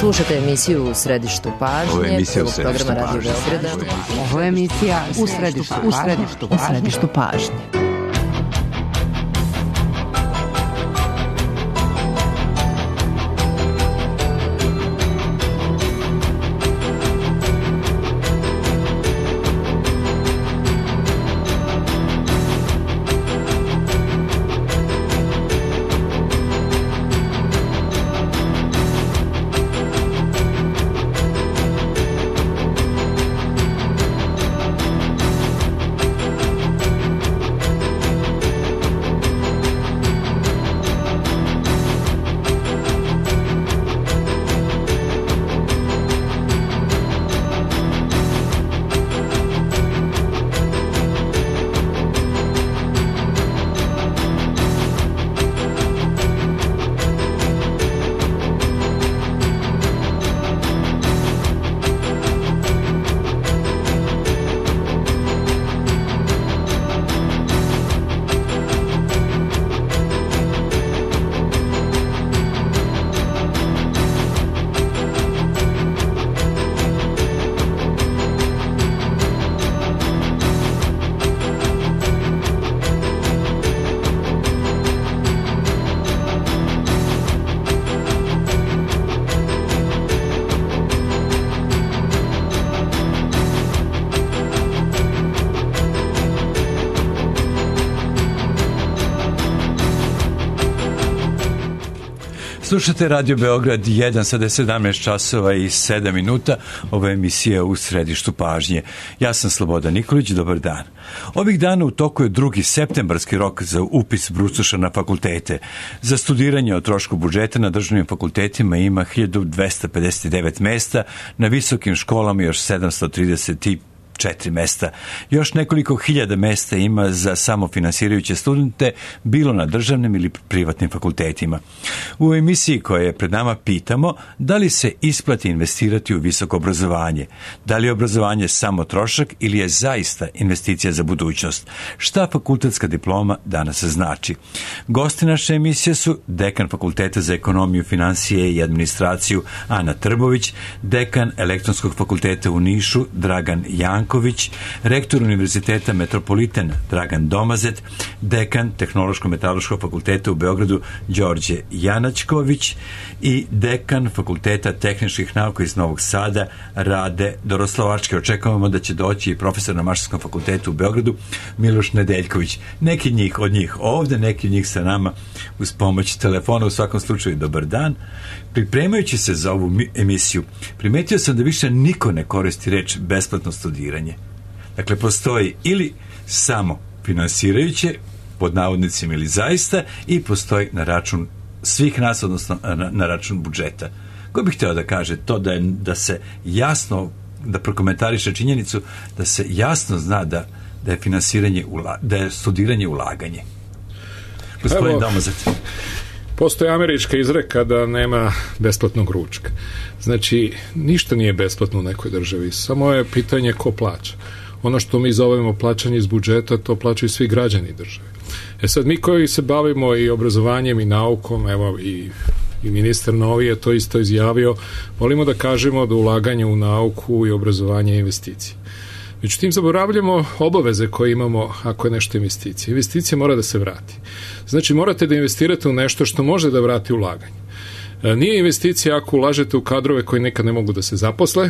Slušate emisiju U središtu pažnje, prvog programa Radio Beograda. Ovo je emisija U središtu pažnje. Slušate Radio Beograd 1, sada je 17 časova i 7 minuta. Ovo je emisija U središtu pažnje. Ja sam Slobodan Nikolić, dobar dan. Ovih dana u toku je 2. septembarski rok za upis brucoša na fakultete. Za studiranje o trošku budžeta na državnim fakultetima ima 1259 mesta, na visokim školama još 734 mesta. Još nekoliko hiljada mesta ima za samofinansirajuće studente, bilo na državnim ili privatnim fakultetima. U emisiji koja je pred nama pitamo da li se isplati investirati u visoko obrazovanje, da li je obrazovanje samo trošak ili je zaista investicija za budućnost, šta fakultetska diploma danas znači. Gosti naše emisije su dekan Fakulteta za ekonomiju, finansije i administraciju Ana Trbović, dekan Elektronskog fakulteta u Nišu Dragan Janković, rektor Univerziteta Metropolitan Dragan Domazet, dekan Tehnološko-metalurškog fakulteta u Beogradu Đorđe Janačković i dekan Fakulteta tehničkih nauka iz Novog Sada Rade Doroslavački. Očekujemo da će doći i profesor na Mašinskom fakultetu u Beogradu Miloš Nedeljković. Neki od njih ovde, neki od njih sa nama uz pomoć telefona. U svakom slučaju, dobar dan. Pripremajući se za ovu emisiju, primetio sam da više niko ne koristi reč besplatno studiranje. Dakle, postoji ili samo finansirajuće, pod navodnicima ili zaista, i postoji na račun svih nas, odnosno na račun budžeta. Ko bih hteo da kaže to da se jasno, da prokomentariše činjenicu da se jasno zna da je finansiranje, da je studiranje ulaganje. Gospodin Domazet. Postoji američka izreka da nema besplatnog ručka. Znači, ništa nije besplatno u nekoj državi, samo je pitanje ko plaća. Ono što mi zovemo plaćanje iz budžeta, to plaćaju svi građani države. Sad, mi koji se bavimo i obrazovanjem i naukom, evo i ministar Novi je to isto izjavio, volimo da kažemo da ulaganje u nauku i obrazovanje je investicije. Međutim, zaboravljamo obaveze koje imamo ako je nešto investicija. Investicija mora da se vrati. Znači, morate da investirate u nešto što može da vrati ulaganje. Nije investicija ako ulažete u kadrove koji nekad ne mogu da se zaposle,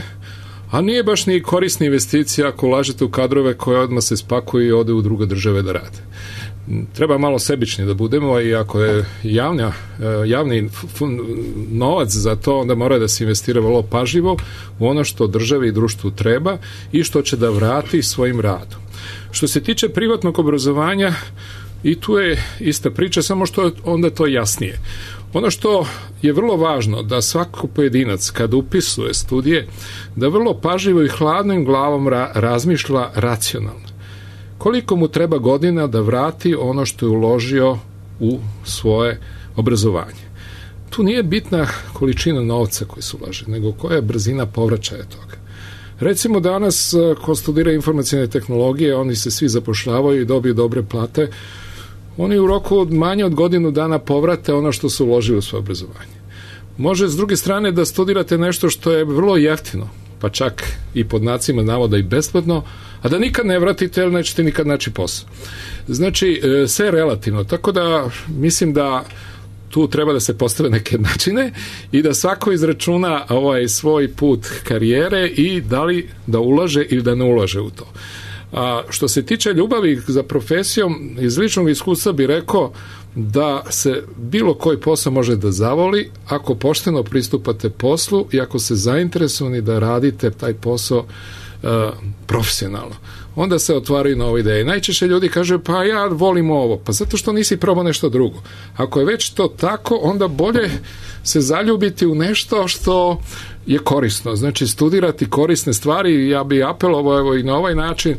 a nije baš ni korisna investicija ako ulažete u kadrove koje odmah se spakuju i ode u druge države da rade. Treba malo sebični da budemo i ako je javni novac za to, onda mora da se investira vrlo pažljivo u ono što državi i društvu treba i što će da vrati svojim radom. Što se tiče privatnog obrazovanja, i tu je ista priča, samo što onda to jasnije. Ono što je vrlo važno da svako pojedinac kad upisuje studije, da vrlo pažljivo i hladnom glavom razmišlja racionalno. Koliko mu treba godina da vrati ono što je uložio u svoje obrazovanje. Tu nije bitna količina novca koji se ulaže, nego koja je brzina povraćaja toga. Recimo danas, ko studira informacijne tehnologije, oni se svi zapošljavaju i dobiju dobre plate, oni u roku manje od godinu dana povrate ono što su uložili u svoje obrazovanje. Može s druge strane da studirate nešto što je vrlo jeftino, pa čak i pod znacima navoda i besplatno, a da nikad ne vratite jer nećete nikad naći posao. Znači, sve je relativno, tako da mislim da tu treba da se postave neke načine i da svako izračuna svoj put karijere i da li da ulaže ili da ne ulaže u to. A što se tiče ljubavi za profesijom, iz ličnog iskustva bih rekao da se bilo koji posao može da zavoli ako pošteno pristupate poslu i ako ste zainteresovani da radite taj posao profesionalno. Onda se otvaraju nove ideje. Najčešće ljudi kažu, pa ja volim ovo, pa zato što nisi probao nešto drugo. Ako je već to tako, onda bolje se zaljubiti u nešto što je korisno. Znači, studirati korisne stvari, ja bih apelovao i na ovaj način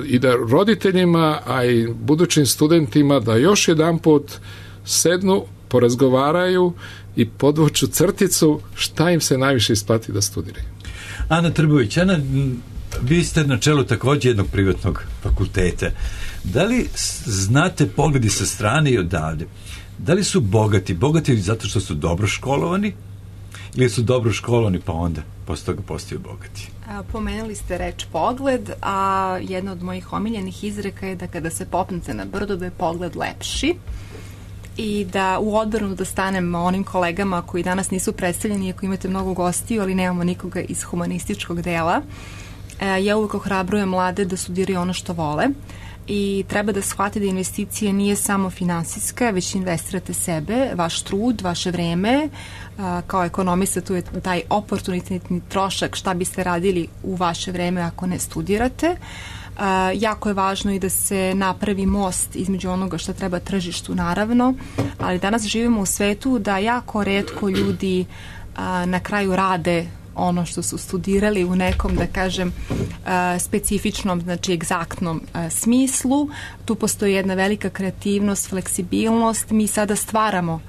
i da roditeljima, a i budućim studentima da još jedanput sednu, porazgovaraju i podvuču crticu šta im se najviše isplati da studiraju. Ana Trbović, Ana, vi ste na čelu također jednog privatnog fakulteta. Da li znate pogledi sa strane i odavde? Da li su bogati zato što su dobro školovani ili su dobro školovani pa onda posle toga postaju bogati? Pomenuli ste reč pogled, a jedna od mojih omiljenih izreka je da kada se popnete na brdo da je pogled lepši i da u odbranu da stanem onim kolegama koji danas nisu predstavljeni, iako imate mnogo gostiju, ali nemamo nikoga iz humanističkog dela. Ja uvijek ohrabrujem mlade da studiraju ono što vole i treba da shvate da investicija nije samo finansijska, već investirate sebe, vaš trud, vaše vreme. Kao ekonomista tu je taj oportunitetni trošak šta biste radili u vaše vreme ako ne studirate. Jako je važno i da se napravi most između onoga što treba tržištu, naravno, ali danas živimo u svetu da jako retko ljudi na kraju rade ono što su studirali u nekom, da kažem, specifičnom, znači egzaktnom smislu. Tu postoji jedna velika kreativnost, fleksibilnost. Mi sada stvaramo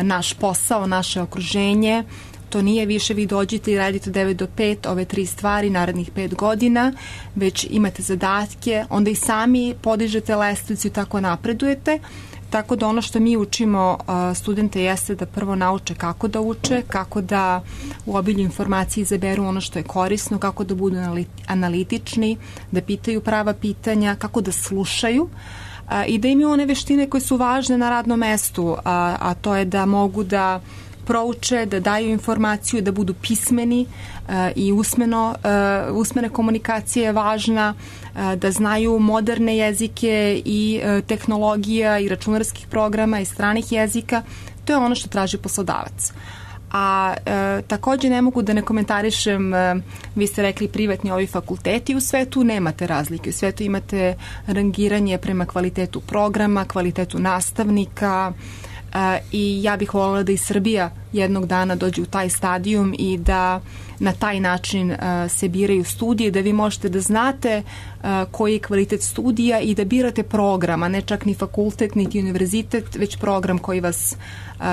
naš posao, naše okruženje. To nije više vi dođete i radite 9 do 5, ove 3 stvari narednih 5 godina, već imate zadatke, onda i sami podižete lestvicu i tako napredujete. Tako da ono što mi učimo studente jeste da prvo nauče kako da uče, kako da u obilju informacije izaberu ono što je korisno, kako da budu analitični, da pitaju prava pitanja, kako da slušaju i da imaju one veštine koje su važne na radnom mestu, a to je da mogu prouče, da daju informaciju, da budu pismeni i usmena komunikacija je važna, da znaju moderne jezike i tehnologija i računarskih programa i stranih jezika. To je ono što traži poslodavac. A također ne mogu da ne komentarišem, vi ste rekli privatni ovi fakulteti, u svetu nemate razlike, u svetu imate rangiranje prema kvalitetu programa, kvalitetu nastavnika, i ja bih voljela da i Srbija jednog dana dođe u taj stadijum i da na taj način se biraju studije, da vi možete da znate koji je kvalitet studija i da birate program, a ne čak ni fakultet, niti univerzitet, već program koji vas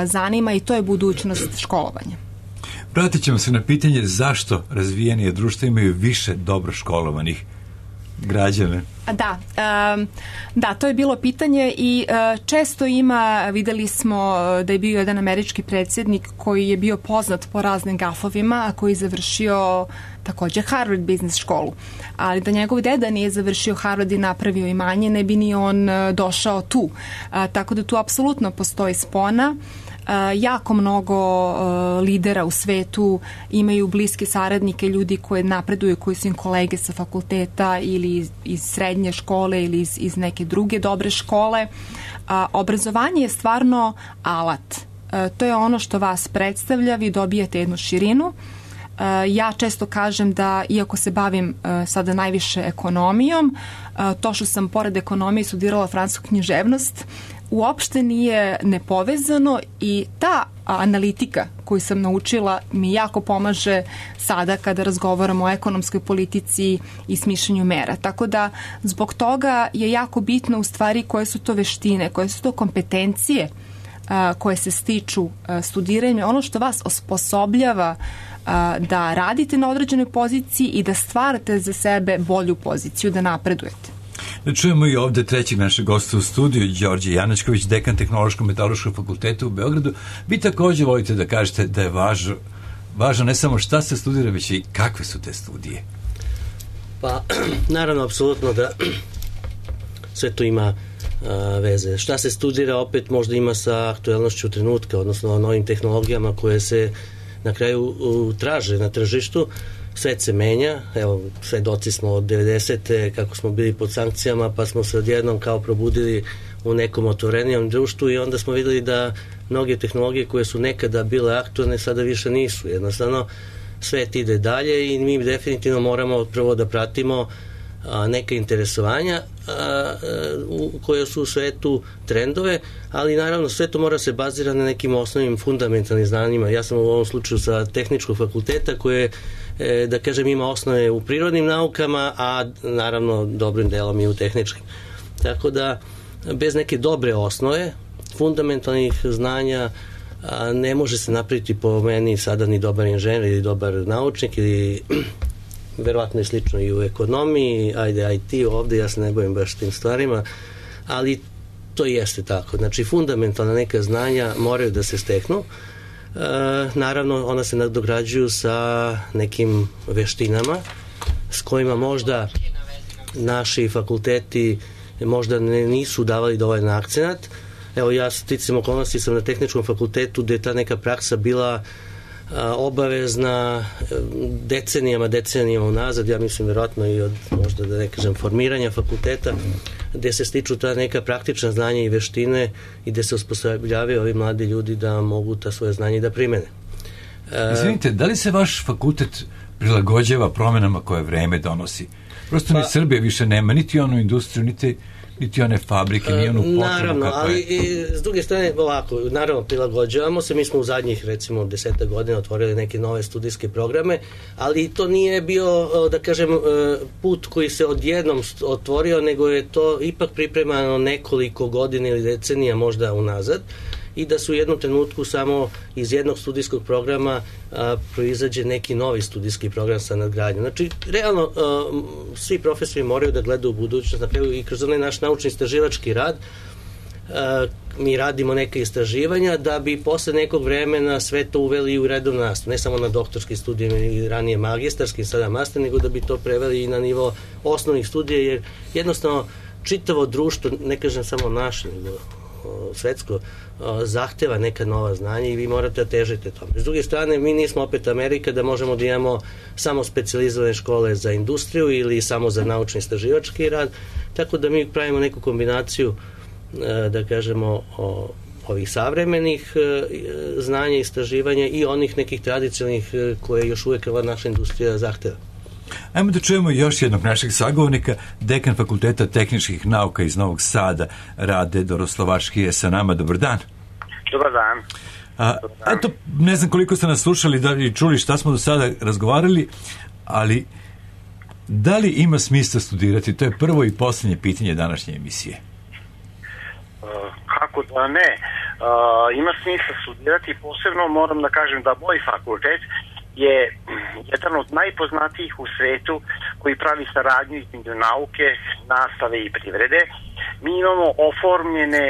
zanima i to je budućnost školovanja. Vratit ćemo se na pitanje zašto razvijenije društva imaju više dobro školovanih građane. Da, to je bilo pitanje i često ima, videli smo da je bio jedan američki predsjednik koji je bio poznat po raznim gafovima, a koji je završio također Harvard Business školu. Ali da njegov deda nije završio Harvard i napravio imanje, ne bi ni on došao tu. Tako da tu apsolutno postoji spona. Jako mnogo lidera u svetu imaju bliske saradnike, ljudi koji napreduju, koji su im kolege sa fakulteta ili iz srednje škole ili iz neke druge dobre škole. Obrazovanje je stvarno alat. To je ono što vas predstavlja, vi dobijate jednu širinu. Ja često kažem da, iako se bavim sada najviše ekonomijom, to što sam pored ekonomije studirala francusku književnost, uopšte nije nepovezano i ta analitika koju sam naučila mi jako pomaže sada kada razgovaramo o ekonomskoj politici i smišljanju mera. Tako da zbog toga je jako bitno u stvari koje su to veštine, koje su to kompetencije koje se stiču studiranjem, ono što vas osposobljava da radite na određenoj poziciji i da stvarate za sebe bolju poziciju, da napredujete. Da čujemo i ovde trećeg našeg gosta u studiju, Đorđe Janačković, dekan Tehnološko-metodološkog fakulteta u Beogradu. Vi takođe volite da kažete da je važno ne samo šta se studira, već i kakve su te studije. Pa, naravno, apsolutno da sve to ima veze. Šta se studira opet možda ima sa aktuelnošću trenutka, odnosno novim tehnologijama koje se na kraju traže na tržištu. Svet se menja, evo, svedoci smo od 90. kako smo bili pod sankcijama, pa smo se odjednom kao probudili u nekom otvorenijem društvu i onda smo videli da mnoge tehnologije koje su nekada bile aktualne sada više nisu. Jednostavno, svet ide dalje i mi definitivno moramo prvo da pratimo neka interesovanja koje su u svetu trendove, ali naravno sve to mora se bazirati na nekim osnovnim fundamentalnim znanjima. Ja sam u ovom slučaju sa tehničkog fakulteta koje, da kažem, ima osnove u prirodnim naukama, a naravno dobrim delom i u tehničkim. Tako da bez neke dobre osnove fundamentalnih znanja ne može se napraviti po meni sada ni dobar inženjer ili dobar naučnik ili verovatno je slično i u ekonomiji, ajde IT ovde, ja se ne bavim baš tim stvarima, ali to jeste tako. Znači, fundamentalna neka znanja moraju da se steknu. Naravno, ona se nadograđuju sa nekim veštinama s kojima možda naši fakulteti možda nisu davali dovoljan akcenat. Evo, ja sticam okolnosti sam na tehničkom fakultetu gde je ta neka praksa bila obavezna decenijama unazad, ja mislim verovatno i od možda da ne kažem formiranja fakulteta, gde se stiču ta neka praktična znanja i veštine i gde se osposobljavaju ovi mladi ljudi da mogu ta svoje znanje da primene. Izvinite, da li se vaš fakultet prilagođava promenama koje vreme donosi? Prosto ni Srbije više nema, niti onu industriju, niti one fabrike, ni onu potrebu. Naravno, ali i s druge strane, ovako, naravno prilagođavamo se, mi smo u zadnjih recimo 10 godina otvorili neke nove studijske programe, ali to nije bio, da kažem, put koji se odjednom otvorio, nego je to ipak pripremano nekoliko godina ili decenija možda unazad i da su u jednom trenutku samo iz jednog studijskog programa proizađe neki novi studijski program sa nadgradnjom. Znači, realno, svi profesori moraju da gledaju u budućnost, na kraju i kroz onaj naš naučni istraživački rad, mi radimo neke istraživanja da bi posle nekog vremena sve to uveli u redovnu nastavu, ne samo na doktorski studijima i ranije magistarski, sada master, nego da bi to preveli i na nivo osnovnih studija, jer jednostavno čitavo društvo, ne kažem samo naše, nego svetsko, zahteva neka nova znanja i vi morate da težite tome. S druge strane, mi nismo opet Amerika da možemo da imamo samo specijalizovane škole za industriju ili samo za naučni istraživački rad, tako da mi pravimo neku kombinaciju, da kažemo, ovih savremenih znanja i istraživanja i onih nekih tradicionalnih koje još uvek ova naša industrija zahteva. Ajmo da čujemo još jednog našeg sagovornika, dekan Fakulteta tehničkih nauka iz Novog Sada, Rade Doroslovački je sa nama. Dobar dan. Dobar dan. Eto, ne znam koliko ste nas slušali i čuli šta smo do sada razgovarali, ali da li ima smisla studirati? To je prvo i poslednje pitanje današnje emisije. Kako da ne? Ima smisla studirati, posebno moram da kažem da moj fakultet je jedan od najpoznatijih u svetu koji pravi saradnju između nauke, nastave i privrede. Mi imamo oformljene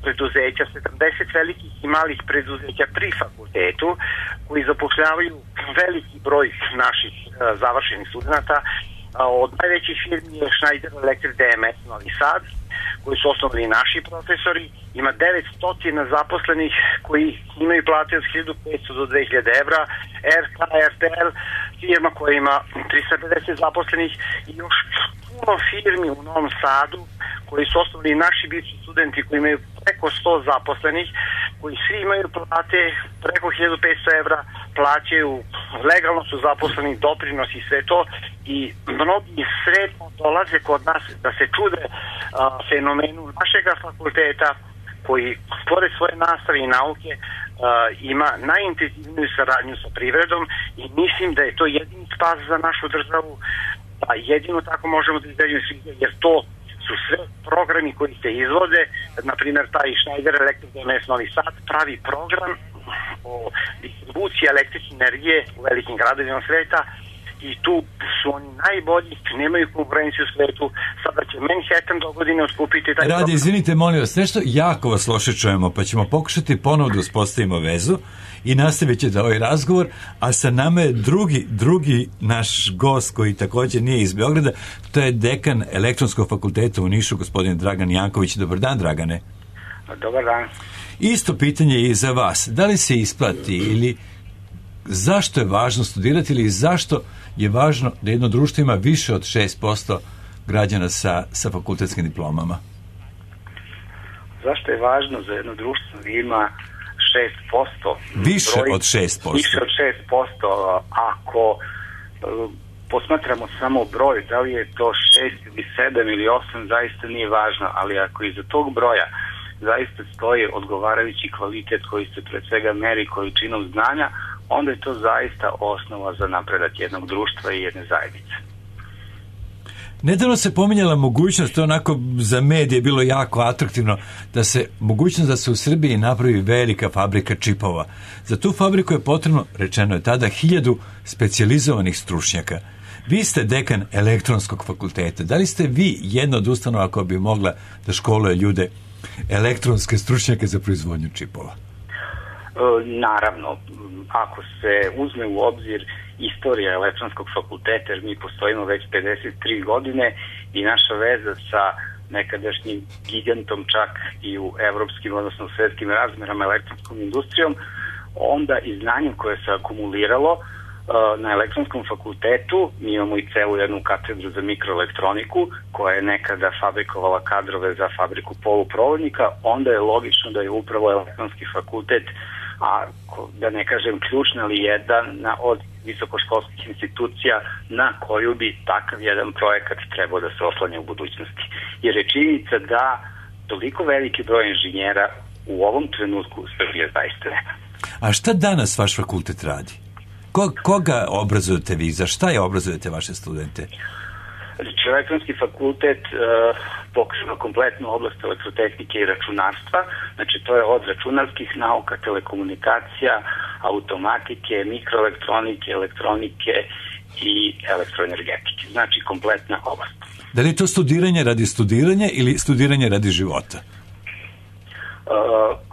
preduzeća, 70 velikih i malih preduzeća pri fakultetu koji zapošljavaju veliki broj naših završenih studenta. Od najvećih firmi je Schneider Electric DMS Novi Sad, koji su osnovali naši profesori. Ima 900 zaposlenih koji imaju plate od 1500 do 2000 evra. RK, RTL, firma koja ima 350 zaposlenih i još puno firmi u Novom Sadu koji su osnovali naši bivši studenti koji imaju preko 100 zaposlenih, koji svi imaju plate preko 1500 evra, plaćaju, legalno su zaposleni, doprinosi i sve to, i mnogi sretno dolaze kod nas da se čude fenomenu našega fakulteta koji pored svoje nastave i nauke ima najintenzivniju saradnju sa privredom i mislim da je to jedini spas za našu državu, a jedino tako možemo da izađemo svi, jer to su sve programi koji se izvode. Na primjer, taj Schneider Electric DMS Novi Sad pravi program o distribuciji električne energije u velikim gradovima sveta i tu su oni najbolji, nemaju konkurenciju u svetu. Sada će Manhattan do godine otkupiti taj... Rade, izvinite, molim vas, nešto jako vas loše čujemo, pa ćemo pokušati ponovo da uspostavimo vezu i nastavit će da ovaj razgovor, a sa nama je drugi naš gost koji također nije iz Beograda, to je dekan Elektronskog fakulteta u Nišu, gospodin Dragan Janković. Dobar dan, Dragane. Dobar dan. Isto pitanje i za vas. Da li se isplati ili zašto je važno studirati ili zašto je važno da jedno društvo ima više od 6% građana sa fakultetskim diplomama? Zašto je važno za jedno društvo da ima 6%? Više od 6%. Više od 6%. Ako posmatramo samo broj, da li je to 6 ili 7 ili 8, zaista nije važno, ali ako iza tog broja zaista stoji odgovarajući kvalitet koji se pred svega meri količinom znanja, onda je to zaista osnova za napredak jednog društva i jedne zajednice. Nedavno se pominjala mogućnost, to onako za medije bilo jako atraktivno, mogućnost da se u Srbiji napravi velika fabrika čipova. Za tu fabriku je potrebno, rečeno je tada, 1000 specijalizovanih stručnjaka. Vi ste dekan Elektronskog fakulteta. Da li ste vi jedna od ustanova koja bi mogla da školuje ljude, elektronske stručnjake za proizvodnju čipova? Naravno, ako se uzme u obzir istorija Elektronskog fakulteta, jer mi postojimo već 53 godine i naša veza sa nekadašnjim gigantom čak i u evropskim, odnosno u svetskim razmerama elektronskom industrijom, onda i znanjem koje se akumuliralo na Elektronskom fakultetu, mi imamo i celu jednu katedru za mikroelektroniku koja je nekada fabrikovala kadrove za fabriku poluprovodnika, onda je logično da je upravo Elektronski fakultet, a da ne kažem ključna ali jedna od visokoškolskih institucija na koju bi takav jedan projekat trebao da se oslanja u budućnosti. Jer je činjenica da toliko veliki broj inženjera u ovom trenutku Srbije zaista nema. A šta danas vaš fakultet radi? Koga obrazujete vi? Za šta je obrazujete vaše studente? Znači, Elektronski fakultet pokriva kompletnu oblast elektrotehnike i računarstva. Znači, to je od računarskih nauka, telekomunikacija, automatike, mikroelektronike, elektronike i elektroenergetike. Znači, kompletna oblast. Da li je to studiranje radi studiranja ili studiranje radi života?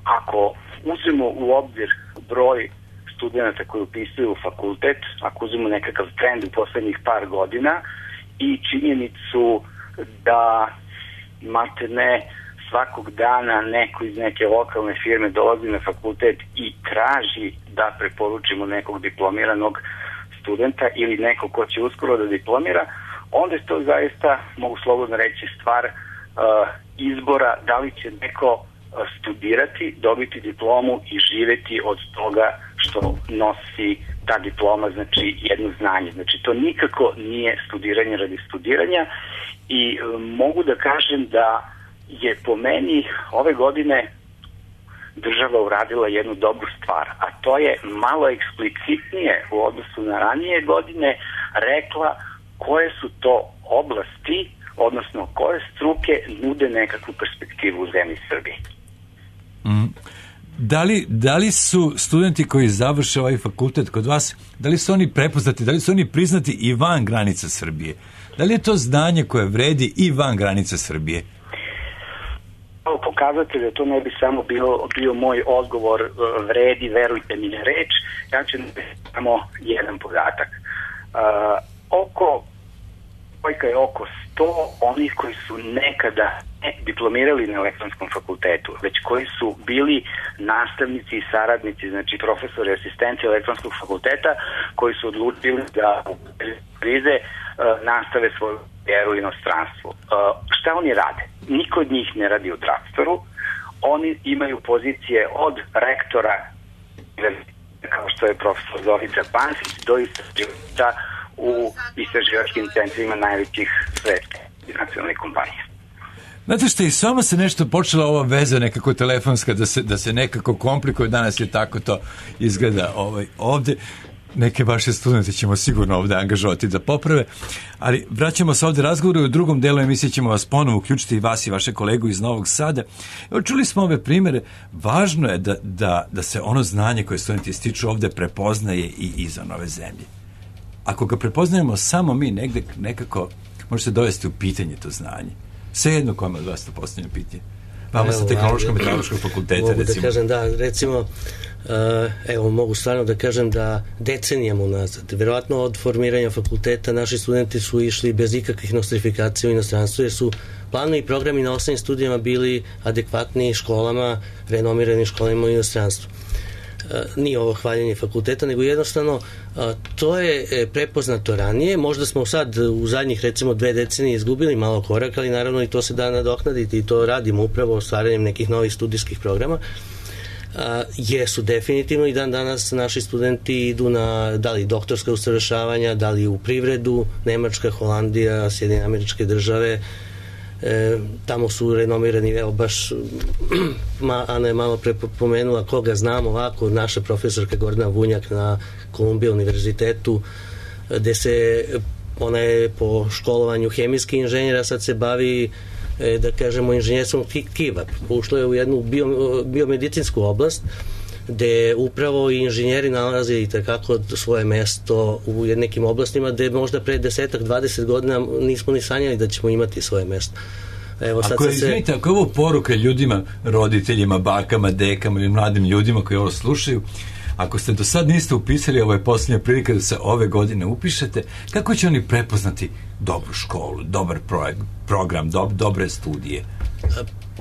Ako uzmemo u obzir broj studenta koji upisuju fakultet, ako uzmemo nekakav trend u poslednjih par godina i činjenicu da maltene svakog dana neko iz neke lokalne firme dolazi na fakultet i traži da preporučimo nekog diplomiranog studenta ili nekog ko će uskoro da diplomira, onda je to zaista, mogu slobodno reći, stvar izbora da li će neko studirati, dobiti diplomu i živeti od toga što nosi ta diploma, znači jedno znanje. Znači to nikako nije studiranje radi studiranja i mogu da kažem da je po meni ove godine država uradila jednu dobru stvar, a to je malo eksplicitnije u odnosu na ranije godine rekla koje su to oblasti, odnosno koje struke nude nekakvu perspektivu u zemlji Srbiji. Da li su studenti koji završe ovaj fakultet kod vas, da li su oni prepoznati, da li su oni priznati i van granica Srbije? Da li je to znanje koje vredi i van granica Srbije? Pokazatelj da to ne bi samo bio moj odgovor vredi, verujte mi na reč, ja ću samo jedan podatak. Brojka je oko 100 onih koji su nekada ne diplomirali na Elektronskom fakultetu, već koji su bili nastavnici i saradnici, znači profesori, asistenti Elektronskog fakulteta, koji su odlučili da u krize nastave svoju karijeru u inostranstvu. Šta oni rade? Niko od njih ne radi u Drugstoru, oni imaju pozicije od rektora, kao što je profesor Zorica Pansić, do istraživača u istraživačkim centrima najvećih svetskih nacionalnih kompanija. Znate što, i samo se nešto počela ova veza nekako telefonska da se nekako komplikuje, danas je tako to izgleda ovde. Neke vaše studente ćemo sigurno ovde angažovati da poprave, ali vraćamo se ovde razgovoru i u drugom delu emisije ćemo vas ponovo uključiti i vas i vaše kolegu iz Novog Sada. Evo, čuli smo ove primere, važno je da se ono znanje koje studenti stiču ovde prepoznaje i izvan ove zemlje. ako ga prepoznajemo samo mi negde, nekako može se dovesti u pitanje to znanje. Svejedno kome od vas to postavljeno pitanje. Vama sa tehnološko-metalurškog fakulteta, mogu recimo. Da kažem, da, recimo, mogu stvarno da kažem da decenijama unazad, verovatno od formiranja fakulteta, naši studenti su išli bez ikakvih nostrifikacija u inostranstvu, jer su planovi i programi na osnovnim studijama bili adekvatni školama, renomiranim školama u inostranstvu. Nije ovo hvaljenje fakulteta, nego jednostavno to je prepoznato ranije. Možda smo sad u zadnjih recimo 2 decenije izgubili malo korak, ali naravno i to se da nadoknaditi i to radimo upravo stvaranjem nekih novih studijskih programa. Jesu definitivno i dan danas naši studenti idu na da li doktorska usavršavanja, da li u privredu, Nemačka, Holandija, Sjedinjene Američke Države, tamo su renomirani, evo baš Ana je malo pre pomenula koga znam ovako, naša profesorka Gordana Vunjak na Kolumbija univerzitetu, gde se ona je po školovanju hemijski inženjera, sad se bavi da kažemo inženjerstvom tkiva, ušlo je u jednu biomedicinsku oblast gde upravo i inženjeri nalaze i takako svoje mesto u nekim oblastima gde možda pre 10-20 godina nismo ni sanjali da ćemo imati svoje mesto. Evo, sad ako je ovo poruka ljudima, roditeljima, bakama, dekama ili mladim ljudima koji ovo slušaju, ako ste do sad niste upisali, ovo je posljednja prilika da se ove godine upišete, kako će oni prepoznati dobru školu, dobar program, dobre studije?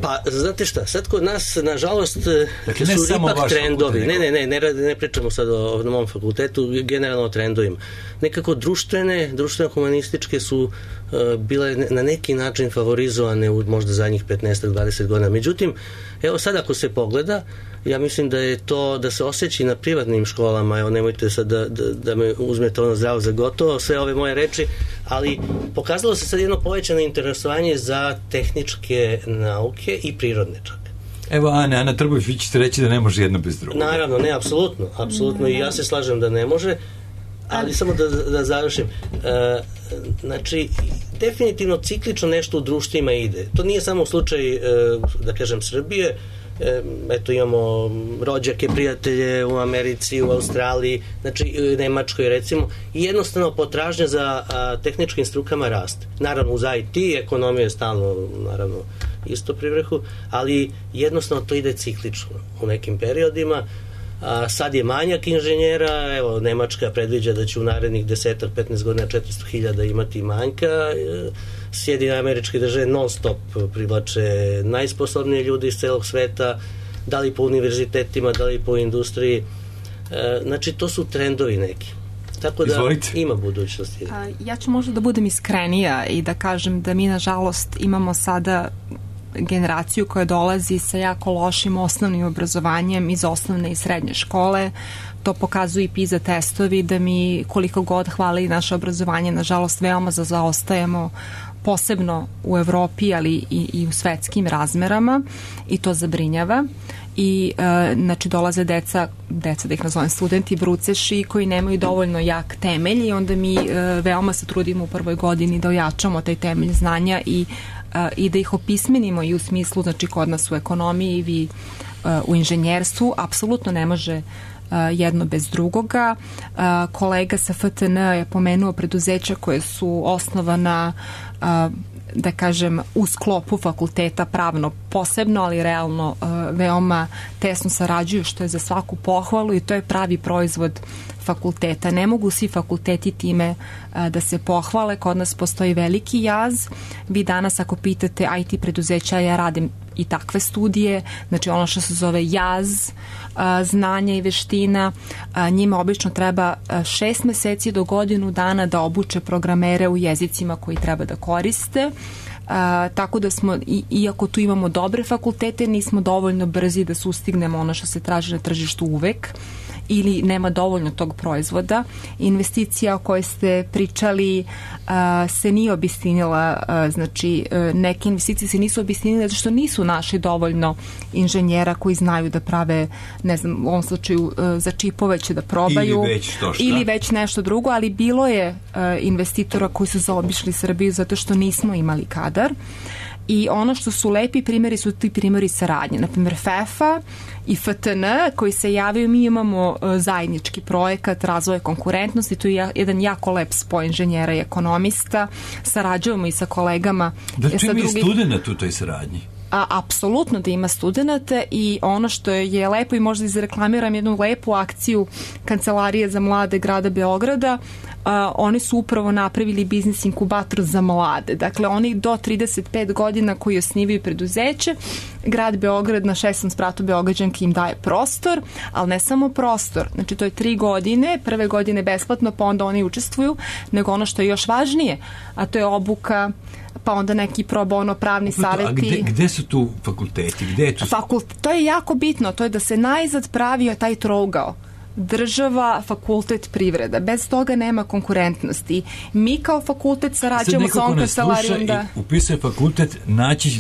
Pa, znate šta, sad kod nas, nažalost, dakle, su ipak trendovi. Ne pričamo sad o mom fakultetu, generalno o trendovima. Nekako društveno-humanističke su bile na neki način favorizovane u možda zadnjih 15-20 godina. Međutim, evo sad ako se pogleda, ja mislim da je to, da se osjeća na privatnim školama, evo nemojte sad da me uzmete ono zdravo za gotovo, sve ove moje reči, ali pokazalo se sad jedno povećano interesovanje za tehničke nauke i prirodne čak. Evo Ana Trbović, vi ćete reći da ne može jedno bez drugog. Naravno, ne, apsolutno i ja se slažem da ne može, ali samo da završim. Znači, definitivno ciklično nešto u društvima ide. To nije samo slučaj, da kažem, Srbije. Eto, imamo rođake, prijatelje u Americi, u Australiji, znači u Nemačkoj recimo, i jednostavno potražnja za tehničkim strukama raste. Naravno uz IT, ekonomija je stalno naravno isto pri vrhu, ali jednostavno to ide ciklično u nekim periodima. Sad je manjak inženjera, evo Nemačka predviđa da će u narednih 10-15 godina 400.000 imati manjka. Sjedinjene Američke Države non stop privlače najsposobnije ljudi iz celog sveta, da li po univerzitetima, da li po industriji. Znači to su trendovi neki. Tako da ima budućnosti. Ja ću možda da budem iskrenija i da kažem da mi nažalost imamo sada generaciju koja dolazi sa jako lošim osnovnim obrazovanjem iz osnovne i srednje škole. To pokazuju i PISA testovi, da mi koliko god hvali naše obrazovanje, nažalost veoma zaostajemo, posebno u Evropi, ali i u svetskim razmerama, i to zabrinjava. I znači dolaze deca da ih nazovem studenti, bruceši koji nemaju dovoljno jak temelj i onda mi veoma se trudimo u prvoj godini da ojačamo taj temelj znanja i da ih opismenimo i u smislu, znači kod nas u ekonomiji, vi u inženjerstvu, apsolutno ne može jedno bez drugoga. Kolega sa FTN je pomenuo preduzeća koje su osnovana da kažem u sklopu fakulteta pravno posebno, ali realno veoma tesno sarađuju, što je za svaku pohvalu i to je pravi proizvod fakulteta. Ne mogu svi fakulteti time da se pohvale, kod nas postoji veliki jaz. Vi danas ako pitate IT preduzeća, ja radim i takve studije, znači ono što se zove jaz znanja i veština, njima obično treba 6 meseci do godinu dana da obuče programere u jezicima koji treba da koriste. Tako da smo, iako tu imamo dobre fakultete, nismo dovoljno brzi da sustignemo ono što se traži na tržištu uvek, ili nema dovoljno tog proizvoda. Investicija o kojoj ste pričali se nije obistinila, znači neke investicije se nisu obistinile zato što nisu našli dovoljno inženjera koji znaju da prave, ne znam, u ovom slučaju za čipove će da probaju ili već nešto drugo, ali bilo je investitora koji su zaobišli Srbiju zato što nismo imali kadar. i ono što su lepi primjeri su ti primjeri saradnje. Naprimjer, FEFA i FTN koji se javaju, mi imamo zajednički projekat razvoja konkurentnosti, to je jedan jako lep spoj inženjera i ekonomista, sarađujemo i sa kolegama. Da li ima i studenta u toj saradnji? Apsolutno da ima studenta i ono što je lepo i možda izreklamiram jednu lepu akciju Kancelarije za mlade grada Beograda, oni su upravo napravili biznis inkubator za mlade. Dakle, oni do 35 godina koji osnivaju preduzeće, grad Beograd na 6. spratu Beograđanki im daje prostor, ali ne samo prostor. Znači, to je 3 godine, prve godine besplatno, pa onda oni učestvuju, nego ono što je još važnije, a to je obuka, pa onda neki pro bono pravni savjeti. A gde su tu fakulteti? Gde je tu... To je jako bitno, to je da se najzad pravio taj trougao. Država, fakultet, privreda. Bez toga nema konkurentnosti. Mi kao fakultet sarađujemo sa ovom kancelarijom da... upisuje fakultet,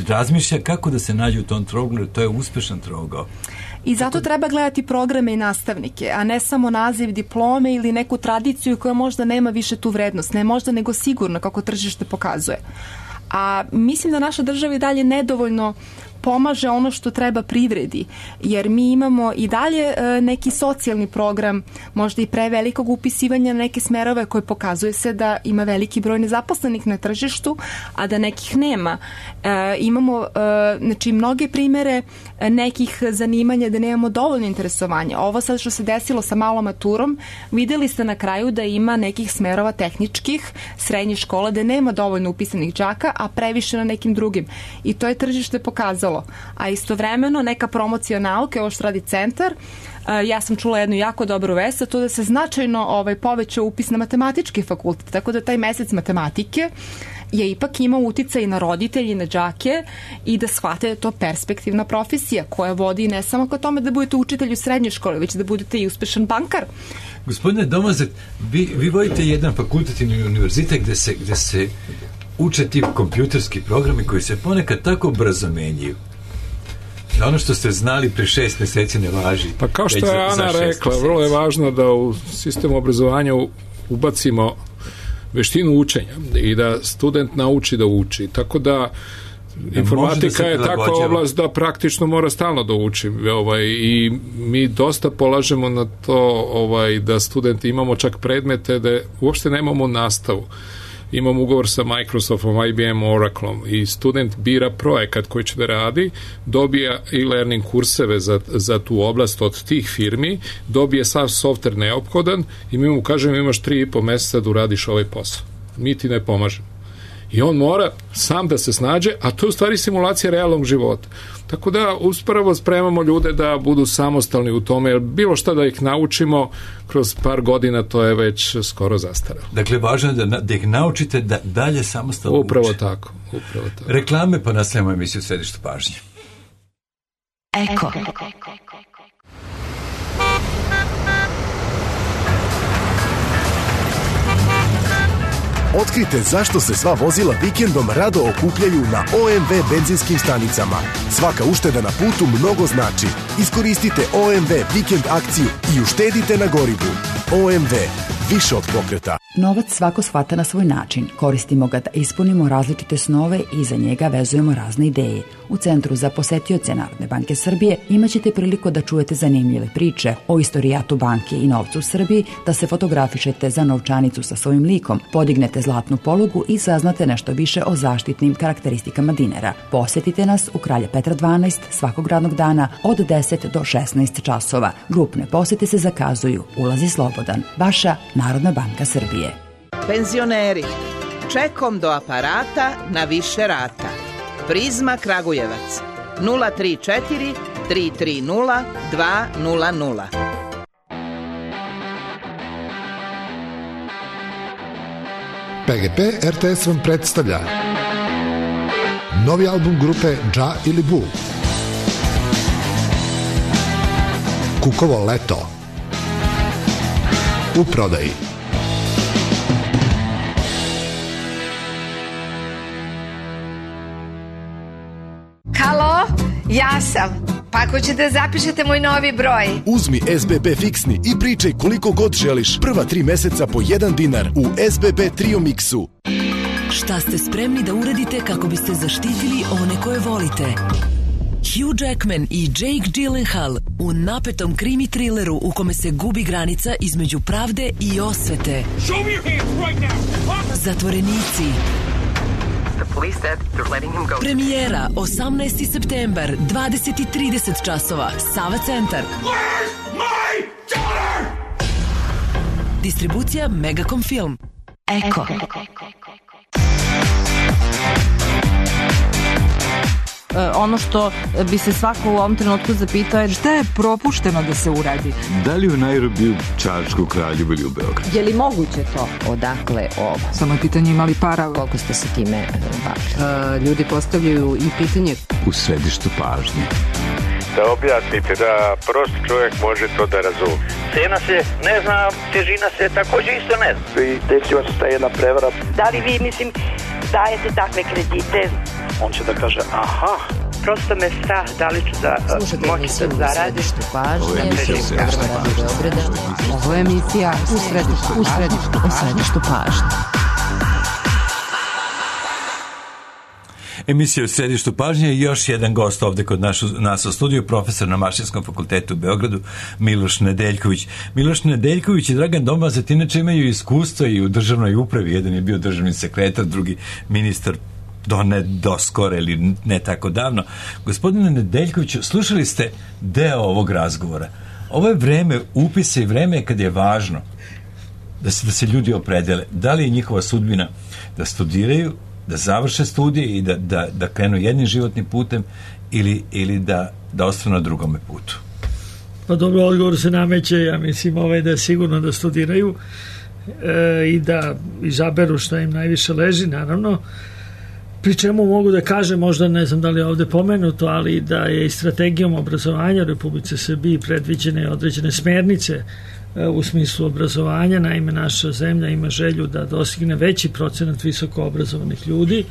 razmišlja kako da se nađe u tom trouglu, to je uspešan trougao. I zato treba gledati programe i nastavnike, a ne samo naziv diplome ili neku tradiciju koja možda nema više tu vrednost. Ne možda, nego sigurno, kako tržište pokazuje. A mislim da naša država i dalje nedovoljno pomaže ono što treba privredi, jer mi imamo i dalje neki socijalni program, možda i prevelikog upisivanja na neke smerove koje pokazuje se da ima veliki broj nezaposlenih na tržištu, a da nekih nema. Imamo znači, mnoge primere nekih zanimanja da nemamo dovoljno interesovanja. Ovo sad što se desilo sa malom maturom, videli ste na kraju da ima nekih smerova tehničkih, srednjih škola, da nema dovoljno upisanih đaka, a previše na nekim drugim. I to je tržište pokazalo. A istovremeno neka promocija nauke, ovo što radi centar, ja sam čula jednu jako dobru vest, a to da se značajno povećao upis na matematički fakultet, tako da taj mesec matematike je ipak imao uticaj na roditelji, na đake i da shvate da je to perspektivna profesija koja vodi ne samo ka tome da budete učitelj u srednjoj školi, već da budete i uspešan bankar. Gospodine Domazet, vi vodite jedan fakultativni univerzitet gde se uče ti kompjuterski programi koji se ponekad tako brzo menjaju. Da ono što ste znali pre 6 meseci ne važi. Pa kao što je Ana rekla, vrlo je važno da u sistemu obrazovanja ubacimo veštinu učenja i da student nauči da uči. Tako da informatika je takva oblast da praktično mora stalno da uči. I mi dosta polažemo na to da studenti imamo čak predmete da uopšte nemamo nastavu. Imam ugovor sa Microsoftom, IBM, Oracleom i student bira projekat koji će da radi, dobija e-learning kurseve za tu oblast od tih firmi, dobije sav softver neophodan i mi mu kažemo imaš 3,5 meseca da uradiš ovaj posao. Mi ti ne pomažemo. I on mora sam da se snađe, a to je u stvari simulacija realnog života. Tako da upravo spremamo ljude da budu samostalni u tome, jer bilo šta da ih naučimo kroz par godina, to je već skoro zastaralo. Dakle, važno je da ih naučite da dalje samostalno uče. Upravo tako. Reklame, pa nastavljamo emisiju Središte pažnje. Eko. Otkrite zašto se sva vozila vikendom rado okupljaju na OMV benzinskim stanicama. Svaka ušteda na putu mnogo znači. Iskoristite OMV vikend akciju i uštedite na gorivu. OMV. Više od pokreta. Novac svako shvata na svoj način. Koristimo ga da ispunimo različite snove i za njega vezujemo razne ideje. U Centru za posetioce Narodne banke Srbije imaćete priliku da čujete zanimljive priče o istorijatu banke i novcu u Srbiji, da se fotografišete za novčanicu sa svojim likom, podignete zlatnu polugu i saznate nešto više o zaštitnim karakteristikama dinara. Posetite nas u Kralja Petra 12 svakog radnog dana od 10 do 16 časova. Grupne posete se zakazuju. Ulaz je slobodan. Vaša Narodna banka Srbije. Penzioneri, čekom do aparata na više rata. Prizma Kragujevac 034 330 200. PGP RTS vam predstavlja novi album grupe Dža ili Bu, Kukovo leto, u prodaji. Halo, ja sam. Pa ako ćete zapišete moj novi broj. Uzmi SBB fiksni i pričaj koliko god želiš. Prva 3 meseca po 1 dinar u SBB Trio Mixu. Šta ste spremni da uradite kako biste zaštitili one koje volite? Hugh Jackman i Jake Gyllenhaal u napetom krimi trileru u kome se gubi granica između pravde i osvete. Zatvorenici. Premijera 18. septembar, 20:30 časova, Sava centar. Distribucija Megacom Film. Eko. Ono što bi se svako u ovom trenutku zapitao je šta je propušteno da se uradi. Da li u Nairobiju, Čačku, Kraljevu ili u Beogradu? Je li moguće to? Odakle ovo? Samo je pitanje imali para. Koliko ste se time bavili? Ljudi postavljaju i pitanje. U središtu pažnje. Da objasnite da prost čovjek može to da razumije. Cena se ne zna, težina se također isto ne zna. I desila se ta jedna prevara. Da li vi, dajete takve kredite? On će da kaže, aha. Prosto me strah da li ću da moći da zaradim. Ovo je emisija u središtu pažnje. Emisija u središtu pažnje i još jedan gost ovde kod nas u studiju, profesor na Mašinskom fakultetu u Beogradu, Miloš Nedeljković. Miloš Nedeljković i Dragan Domazet inače imaju iskustva i u državnoj upravi. Jedan je bio državni sekretar, drugi ministar do skoro ili ne tako davno. Gospodine Nedeljkoviću, slušali ste deo ovog razgovora. Ovo je vreme upisa i vreme kad je važno da se ljudi opredele. Da li je njihova sudbina da studiraju, da završe studije i da krenu jednim životnim putem ili da ostanu na drugome putu? Pa dobro, odgovor se nameće, ja mislim da je sigurno da studiraju i da izaberu šta im najviše leži, naravno. Pri čemu mogu da kažem, možda ne znam da li je ovde pomenuto, ali da je i strategijom obrazovanja u Republici Srbiji predviđene određene smernice u smislu obrazovanja. Naime, naša zemlja ima želju da dostigne veći procenat visoko obrazovanih ljudi,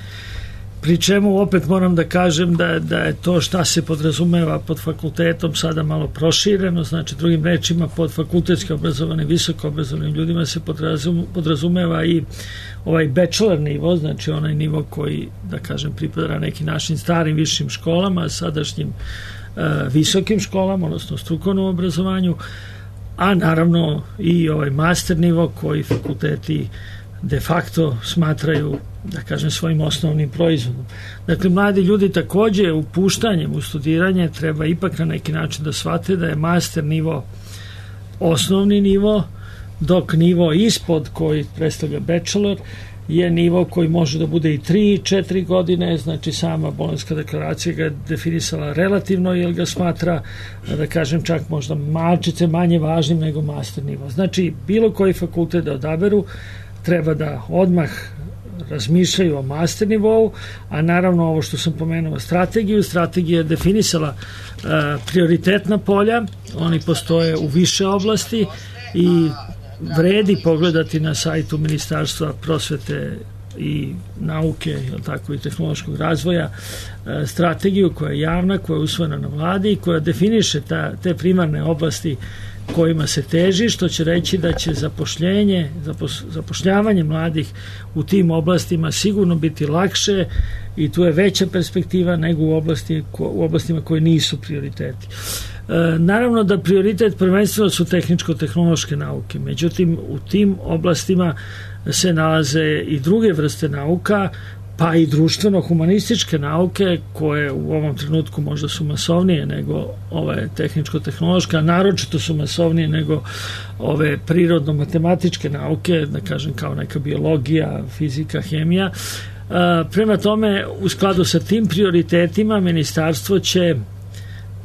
pri čemu opet moram da kažem da je to šta se podrazumeva pod fakultetom sada malo prošireno, znači drugim rečima pod fakultetski obrazovanim, visoko obrazovanim ljudima se podrazumeva i ovaj bachelor nivo, znači onaj nivo koji, da kažem, pripada neki našim starim višim školama, sadašnjim visokim školama, odnosno strukovnom obrazovanju, a naravno i ovaj master nivo koji fakulteti de facto smatraju, da kažem, svojim osnovnim proizvodom. Dakle, mladi ljudi takođe upuštanjem u studiranje treba ipak na neki način da shvate da je master nivo osnovni nivo, dok nivo ispod koji predstavlja bachelor je nivo koji može da bude i 3-4 godine, znači sama Bolonjska deklaracija ga je definisala relativno, jer ga smatra, da kažem, čak možda malčice manje važnim nego master nivo. Znači, bilo koji fakultet da odaberu treba da odmah razmišljaju o master nivou, a naravno ovo što sam pomenuo strategija je definisala prioritetna polja, oni postoje u više oblasti i vredi pogledati na sajtu Ministarstva prosvete i nauke, tako i tehnološkog razvoja, strategiju koja je javna, koja je usvojena na vladi i koja definiše te primarne oblasti kojima se teži, što će reći da će zapošljavanje mladih u tim oblastima sigurno biti lakše i tu je veća perspektiva nego u oblastima koje nisu prioriteti. Naravno da prioritet prvenstveno su tehničko-tehnološke nauke, međutim u tim oblastima se nalaze i druge vrste nauka, pa i društveno-humanističke nauke koje u ovom trenutku možda su masovnije nego ove tehničko-tehnološke, a naročito su masovnije nego ove prirodno-matematičke nauke, da kažem kao neka biologija, fizika, hemija. Prema tome, u skladu sa tim prioritetima, ministarstvo će,